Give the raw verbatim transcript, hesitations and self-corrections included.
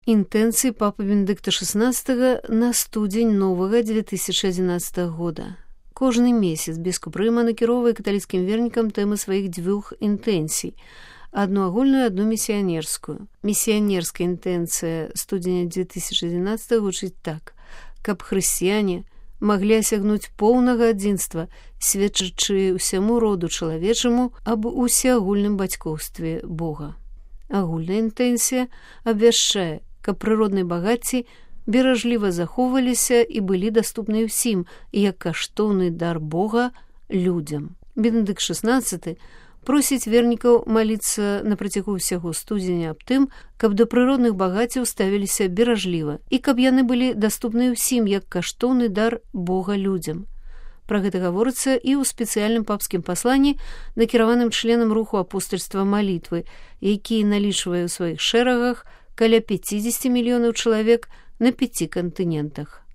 Інтэнцыі папы Бенедыкта шестнадцатого на студзень новага две тысячи одиннадцатого года. Кожны месяц біскуп Рыма накіроўвае каталіцкім вернікам тэмы сваіх дзвюх інтэнцый. Одну агульную, одну місіянерскую. Місіянерская інтэнцыя студзеня две тысячи одиннадцатого гучыць так. Каб хрысціяне маглі асягнуць поўнага адзінства, сведчачы ўсяму роду чалавечаму аб усеагульным бацькоўстве Бога. Агульная інтэнцыя абвяшчае, каб прыродныя багацці беражліва захоўваліся і былі даступны ўсім, як каштоўны дар Бога людзям. Бенедыкт шестнадцаты просіць вернікаў маліцца на працягу ўсяго студзеня аб тым, каб да прыродных багаццяў ставіліся беражліва і каб яны былі даступны ўсім, як каштоўны дар Бога людзям. Пра гэта гаворыцца і ў спецыяльным папскім пасланні, накіраваным членам руху апостальства малітвы, які налічвае ў сваіх шэрагах каля пяцьдзесят мільёнаў чалавек на пяці кантынентах.